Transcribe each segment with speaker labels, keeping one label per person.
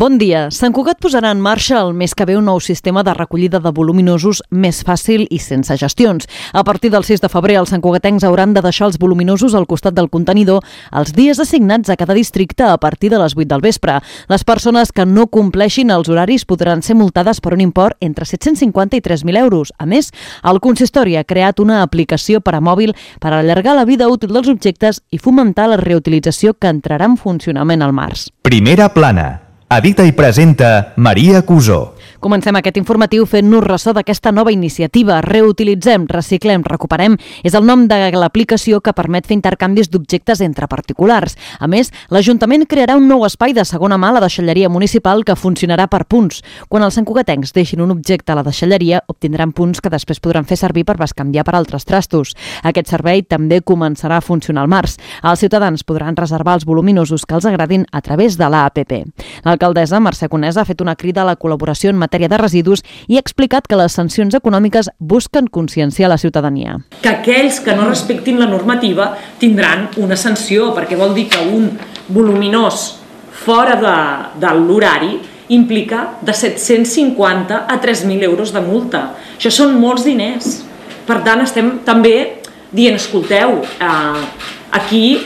Speaker 1: Bon dia. Sant Cugat posarà en marxa el mes que ve un nou sistema de recollida de voluminosos més fàcil i sense gestions. A partir del 6 de febrer, els santcugatencs hauran de deixar els voluminosos al costat del contenidor els dies assignats a cada districte a partir de les 8 del vespre. Les persones que no compleixin els horaris podran ser multades per un import entre 750 i 3.000 euros. A més, el consistori ha creat una aplicació per a mòbil per allargar la vida útil dels objectes i fomentar la reutilització que entrarà en funcionament al març.
Speaker 2: Primera plana. Edita i presenta Maria Cusó.
Speaker 1: Comencem aquest informatiu fent-nos ressò d'aquesta nova iniciativa. Reutilitzem, reciclem, recuperem és el nom de l'aplicació que permet fer intercanvis d'objectes entre particulars. A més, l'Ajuntament crearà un nou espai de segona mà a la deixalleria municipal que funcionarà per punts. Quan els santcugatencs deixin un objecte a la deixalleria, obtindran punts que després podran fer servir per bescanviar per altres trastos. Aquest servei també començarà a funcionar al març. Els ciutadans podran reservar els voluminosos que els agradin a través de l'APP. L'alcaldessa Mercè Conesa ha fet una crida a la col·laboració en matèria de residus i ha explicat que les sancions econòmiques busquen conscienciar la ciutadania.
Speaker 3: Que aquells que no respectin la normativa tindran una sanció, perquè vol dir que un voluminós fora de l'horari implica de 750 a 3.000 euros de multa. Això són molts diners. Per tant, estem també dient, escolteu, aquí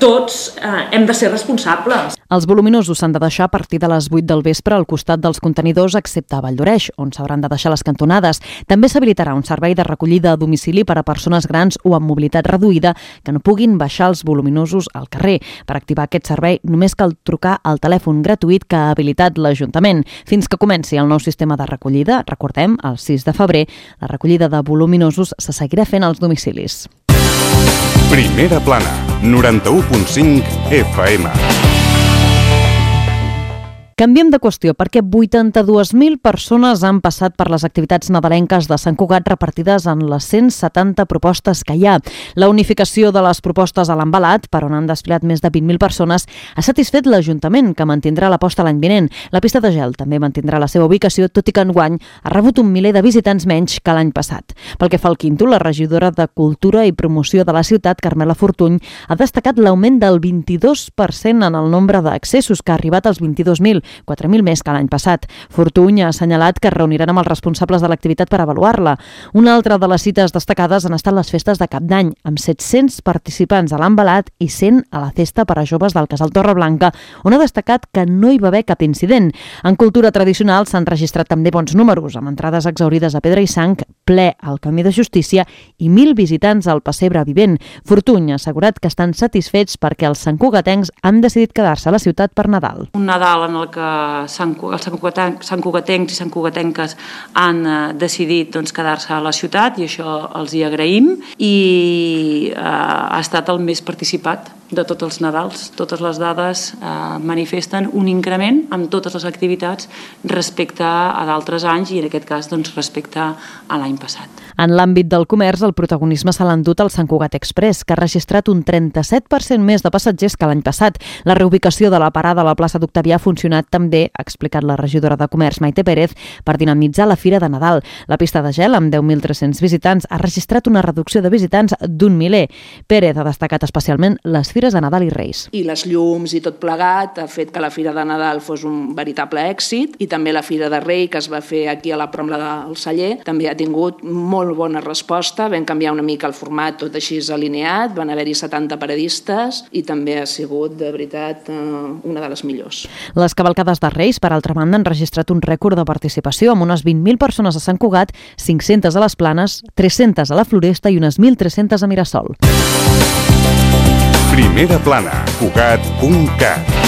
Speaker 3: tots hem de ser responsables.
Speaker 1: Els voluminosos s'han de deixar a partir de les 8 del vespre al costat dels contenidors, excepte a Valldoreix, on s'hauran de deixar les cantonades. També s'habilitarà un servei de recollida a domicili per a persones grans o amb mobilitat reduïda que no puguin baixar els voluminosos al carrer. Per activar aquest servei només cal trucar al telèfon gratuït que ha habilitat l'Ajuntament. Fins que comenci el nou sistema de recollida, recordem, el 6 de febrer, la recollida de voluminosos se seguirà fent als domicilis.
Speaker 4: Primera plana, 91.5 FM.
Speaker 1: Canviem de qüestió perquè 82.000 persones han passat per les activitats nadalenques de Sant Cugat repartides en les 170 propostes que hi ha. La unificació de les propostes a l'embalat, per on han desfilat més de 20.000 persones, ha satisfet l'Ajuntament, que mantindrà l'aposta l'any vinent. La pista de gel també mantindrà la seva ubicació, tot i que enguany ha rebut un miler de visitants menys que l'any passat. Pel que fa al quinto, la regidora de Cultura i Promoció de la ciutat, Carmela Fortuny, ha destacat l'augment del 22% en el nombre d'accessos, que ha arribat als 22.000, 4.000 més que l'any passat. Fortuny ha assenyalat que es reuniran amb els responsables de l'activitat per avaluar-la. Una altra de les cites destacades han estat les festes de Cap d'Any, amb 700 participants a l'embalat i 100 a la festa per a joves del Casal Torreblanca, on ha destacat que no hi va haver cap incident. En cultura tradicional s'han registrat també bons números, amb entrades exhaurides a Pedra i Sang, ple al Camí de Justícia i 1.000 visitants al Pessebre Vivent. Fortuny ha assegurat que estan satisfets perquè els santcugatencs han decidit quedar-se a la ciutat per Nadal.
Speaker 5: Un Nadal en el que els santcugatencs i santcugatenques han decidit quedar-se a la ciutat, i això els hi agraïm, i ha estat el més participat de tots els Nadals. Totes les dades manifesten un increment amb totes les activitats respecte a d'altres anys i en aquest cas respecte a l'any passat.
Speaker 1: En l'àmbit del comerç, el protagonisme se l'ha endut el Sant Cugat Express, que ha registrat un 37% més de passatgers que l'any passat. La reubicació de la parada a la plaça d'Octavià ha funcionat també, ha explicat la regidora de Comerç, Maite Pérez, per dinamitzar la Fira de Nadal. La pista de gel, amb 10.300 visitants, ha registrat una reducció de visitants d'un miler. Pérez ha destacat especialment les fires de Nadal i Reis.
Speaker 6: I les llums i tot plegat ha fet que la Fira de Nadal fos un veritable èxit, i també la Fira de Rei, que es va fer aquí a la Prombla del Celler, també ha tingut molt bona resposta. Vam canviar una mica el format, tot així alineat, van haver-hi 70 paradistes i també ha sigut, de veritat, una de les millors.
Speaker 1: Les cavalcades de Reis, per altra banda, han registrat un rècord de participació amb unes 20.000 persones a Sant Cugat, 500 a les Planes, 300 a la Floresta i unes 1.300 a Mirasol.
Speaker 4: Primera plana, Cugat.cat.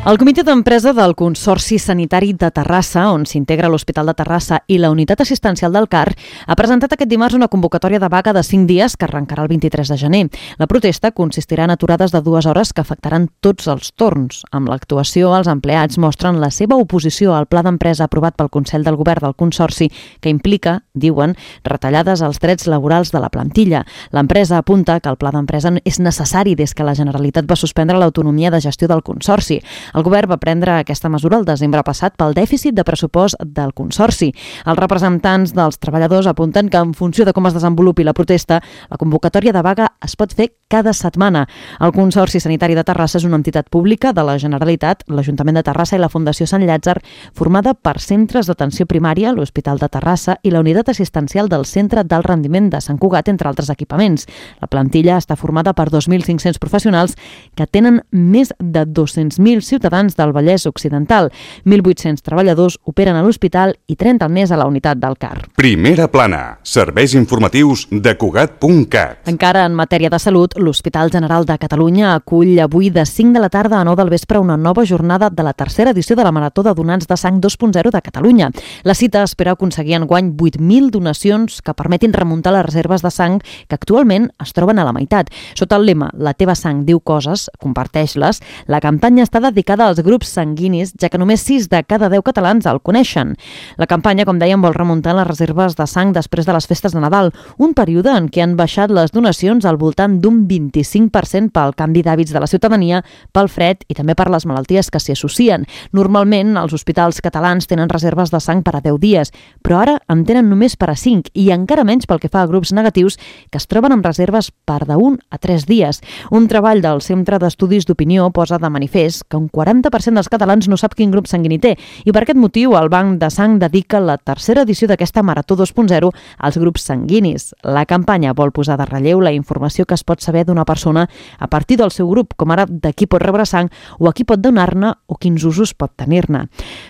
Speaker 1: El comitè d'empresa del Consorci Sanitari de Terrassa, on s'integra l'Hospital de Terrassa i la Unitat Assistencial del CAR, ha presentat aquest dimarts una convocatòria de vaga de 5 dies que arrencarà el 23 de gener. La protesta consistirà en aturades de 2 hores que afectaran tots els torns. Amb l'actuació, els empleats mostren la seva oposició al pla d'empresa aprovat pel Consell del Govern del Consorci, que implica, diuen, retallades als drets laborals de la plantilla. L'empresa apunta que el pla d'empresa és necessari des que la Generalitat va suspendre l'autonomia de gestió del Consorci. El govern va prendre aquesta mesura el desembre passat pel dèficit de pressupost del Consorci. Els representants dels treballadors apunten que en funció de com es desenvolupi la protesta, la convocatòria de vaga es pot fer cada setmana. El Consorci Sanitari de Terrassa és una entitat pública de la Generalitat, l'Ajuntament de Terrassa i la Fundació Sant Llàtzer, formada per centres d'atenció primària, l'Hospital de Terrassa i la unitat assistencial del Centre d'Alt Rendiment de Sant Cugat, entre altres equipaments. La plantilla està formada per 2.500 professionals que tenen més de 200.000 ciutadans del Vallès Occidental. 1.800 treballadors operen a l'hospital i 30 més a la unitat del CAR.
Speaker 4: Primera plana. Serveis informatius de Cugat.cat.
Speaker 1: Encara en matèria de salut, l'Hospital General de Catalunya acull avui de 5 de la tarda a 9 del vespre una nova jornada de la tercera edició de la Marató de Donants de Sang 2.0 de Catalunya. La cita espera aconseguir enguany 8.000 donacions que permetin remuntar les reserves de sang que actualment es troben a la meitat. Sota el lema La teva sang diu coses, comparteix-les, la campanya està dedicada als grups sanguinis, ja que només 6 de cada 10 catalans el coneixen. La campanya, com dèiem, vol remuntar les reserves de sang després de les festes de Nadal, un període en què han baixat les donacions al voltant d'un 25% pel canvi d'hàbits de la ciutadania, pel fred i també per les malalties que s'hi associen. Normalment, els hospitals catalans tenen reserves de sang per a 10 dies, però ara en tenen només per a 5 i encara menys pel que fa a grups negatius que es troben amb reserves per de 1 a 3 dies. Un treball del Centre d'Estudis d'Opinió posa de manifest que un 40% dels catalans no sap quin grup sanguini té i per aquest motiu el Banc de Sang dedica la tercera edició d'aquesta Marató 2.0 als grups sanguinis. La campanya vol posar de relleu la informació que es pot saber d'una persona a partir del seu grup, com ara de qui pot rebre sang o a qui pot donar-ne o quins usos pot tenir-ne.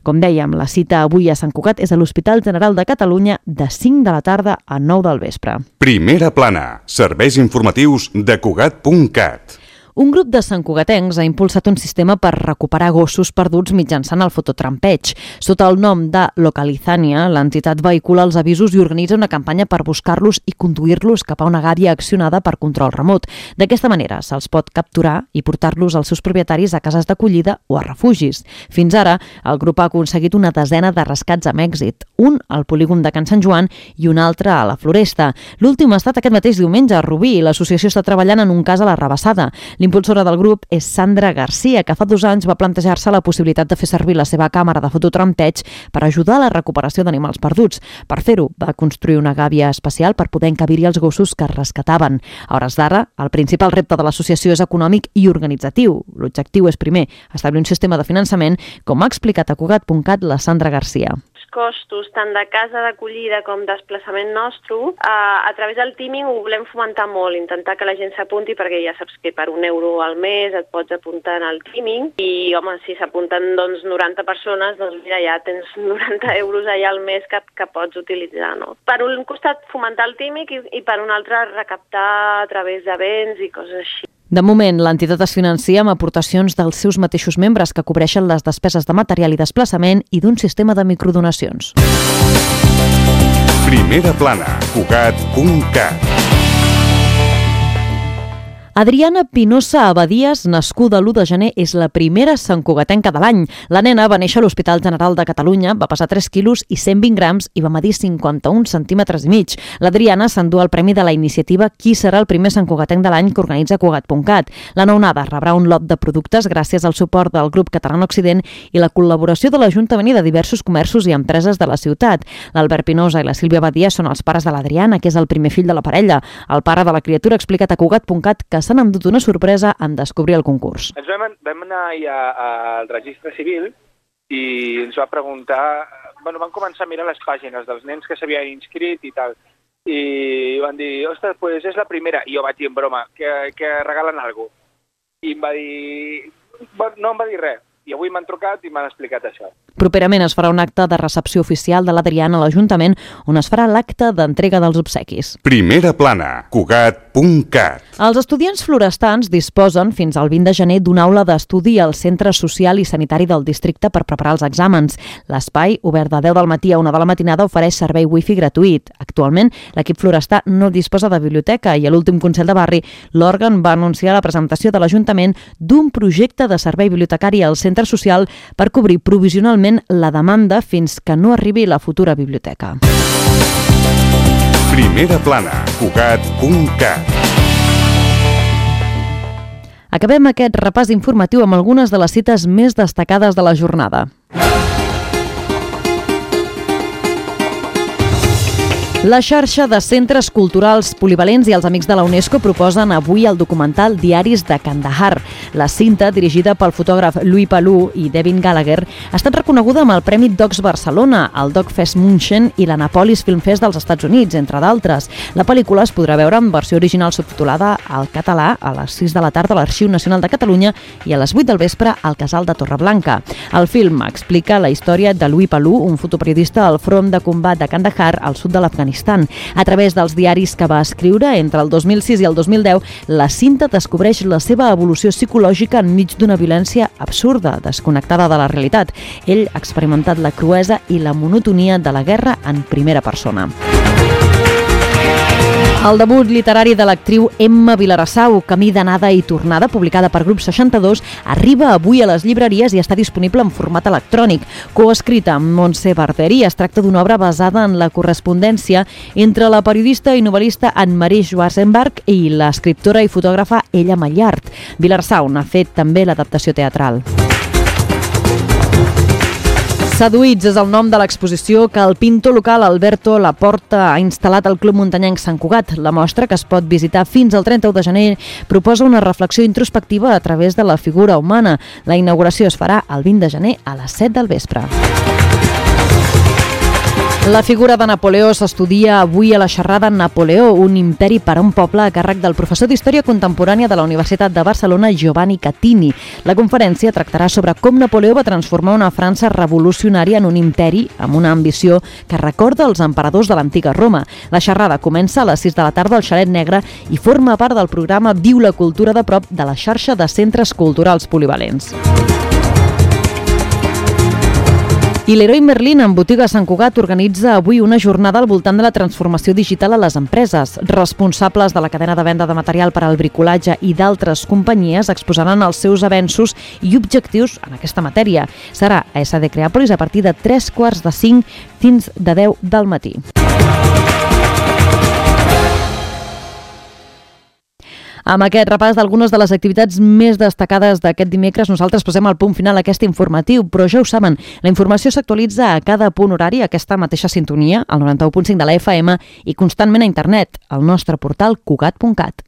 Speaker 1: Com dèiem, la cita avui a Sant Cugat és a l'Hospital General de Catalunya de 5 de la tarda a 9 del vespre.
Speaker 4: Primera plana. Serveis informatius de Cugat.cat.
Speaker 1: Un grup de santcugatencs ha impulsat un sistema per recuperar gossos perduts mitjançant el fototrampeig. Sota el nom de Localizania, l'entitat vehicula els avisos i organitza una campanya per buscar-los i conduir-los cap a una gàbia accionada per control remot. D'aquesta manera se'ls pot capturar i portar-los als seus propietaris a cases d'acollida o a refugis. Fins ara, el grup ha aconseguit una desena de rescats amb èxit, un al polígon de Can Sant Joan i un altre a la Floresta. L'últim ha estat aquest mateix diumenge a Rubí i l'associació està treballant en un cas a la Rabassada. L'impulsora del grup és Sandra Garcia, que fa 2 anys va plantejar-se la possibilitat de fer servir la seva càmera de fototrampeig per ajudar a la recuperació d'animals perduts. Per fer-ho, va construir una gàbia especial per poder encabir-hi els gossos que es rescataven. A hores d'ara, el principal repte de l'associació és econòmic i organitzatiu. L'objectiu és, primer, establir un sistema de finançament, com ha explicat a Cugat.cat la Sandra Garcia.
Speaker 7: Costos tant de casa d'acollida com desplaçament nostre, a través del teaming ho volem fomentar molt, intentar que la gent s'apunti perquè ja saps que per €1 al mes et pots apuntar en el teaming i, home, si s'apunten 90 persones, doncs mira, ja tens €90 allà al mes que pots utilitzar, no? Per un costat fomentar el teaming i per un altre recaptar a través d'events i coses així.
Speaker 1: De moment, l'entitat es financia amb aportacions dels seus mateixos membres que cobreixen les despeses de material i desplaçament i d'un sistema de microdonacions.
Speaker 4: Primera plana, Cugat.cat.
Speaker 1: Adriana Pinossa Abadías, nascuda l'1 de gener, és la primera santcugatenca de l'any. La nena va néixer a l'Hospital General de Catalunya, va pesar 3 quilos i 120 grams i va medir 51 centímetres i mig. L'Adriana s'endú el premi de la iniciativa Qui serà el primer santcugatenc de l'any que organitza Cugat.cat. La nounada rebrà un lot de productes gràcies al suport del grup Català Occident i la col·laboració de l'Ajuntament i de diversos comerços i empreses de la ciutat. L'Albert Pinossa i la Sílvia Abadías són els pares de l'Adriana, que és el primer fill de la parella. El pare de la criatura ha explicat a Cugat.cat que s'han endut una sorpresa en descobrir el concurs.
Speaker 8: Ens vam anar ja al registre civil i ens va preguntar... Bueno, van començar a mirar les pàgines dels nens que s'havien inscrit i tal. I van dir, ostres, pues és la primera. I jo vaig dir en broma, que regalen alguna cosa. I em va dir... No em va dir res. I avui m'han trucat i m'han explicat això.
Speaker 1: Properament es farà un acte de recepció oficial de l'Adriana a l'Ajuntament on es farà l'acte d'entrega dels obsequis.
Speaker 4: Primera plana, Cugat.cat.
Speaker 1: Els estudiants florestans disposen fins al 20 de gener d'una aula d'estudi al Centre Social i Sanitari del districte per preparar els exàmens. L'espai, obert de 10 del matí a 1 de la matinada, ofereix servei wifi gratuït. Actualment, l'equip florestà no disposa de biblioteca i a l'últim Consell de Barri l'òrgan va anunciar la presentació de l'Ajuntament d'un projecte de servei bibliotecari al Centre Social per cobrir provisionalment la demanda fins que no arribi la futura biblioteca.
Speaker 4: Primera plana, Cugat.cat.
Speaker 1: Acabem aquest repàs informatiu amb algunes de les cites més destacades de la jornada. La xarxa de centres culturals polivalents i els Amics de la UNESCO proposen avui el documental Diaris de Kandahar. La cinta, dirigida pel fotògraf Louis Palou i Devin Gallagher, ha estat reconeguda amb el Premi Docs Barcelona, el Docfest München i l'Annapolis Film Fest dels Estats Units, entre d'altres. La pel·lícula es podrà veure en versió original subtitulada al català a les 6 de la tarda a l'Arxiu Nacional de Catalunya i a les 8 del vespre al Casal de Torreblanca. El film explica la història de Louis Palou, un fotoperiodista al front de combat de Kandahar, al sud de l'Afganistan. A través dels diaris que va escriure entre el 2006 i el 2010, la cinta descobreix la seva evolució psicològica enmig d'una violència absurda, desconnectada de la realitat. Ell ha experimentat la cruesa i la monotonia de la guerra en primera persona. El debut literari de l'actriu Emma Vilarassau, Camí d'anada i tornada, publicada per Grup 62, arriba avui a les llibreries i està disponible en format electrònic. Coescrita amb Montse Barteri, es tracta d'una obra basada en la correspondència entre la periodista i novel·lista Anne-Marie Schwarzenberg i l'escriptora i fotògrafa Ella Mallart. Vilarassau n'ha fet també l'adaptació teatral. Seduïts és el nom de l'exposició que el pintor local Alberto Laporta ha instal·lat al Club Muntanyenc Sant Cugat. La mostra, que es pot visitar fins al 31 de gener, proposa una reflexió introspectiva a través de la figura humana. La inauguració es farà el 20 de gener a les 7 del vespre. La figura de Napoleó s'estudia avui a la xerrada Napoleó, un imperi per a un poble, a càrrec del professor d'Història Contemporània de la Universitat de Barcelona, Giovanni Catini. La conferència tractarà sobre com Napoleó va transformar una França revolucionària en un imperi amb una ambició que recorda els emperadors de l'antiga Roma. La xerrada comença a les 6 de la tarda al Xalet Negre i forma part del programa Viu la cultura de prop de la xarxa de centres culturals polivalents. I Leroy Merlin, en botiga a Sant Cugat, organitza avui una jornada al voltant de la transformació digital a les empreses. Responsables de la cadena de venda de material per al bricolatge i d'altres companyies exposaran els seus avenços i objectius en aquesta matèria. Serà a SD Creàpolis a partir de 3:45 fins de 10 del matí. Amb aquest repàs d'algunes de les activitats més destacades d'aquest dimecres, nosaltres posem el punt final a aquest informatiu, però ja ho saben, la informació s'actualitza a cada punt horari, a aquesta mateixa sintonia, al 91.5 de la FM i constantment a internet, al nostre portal cugat.cat.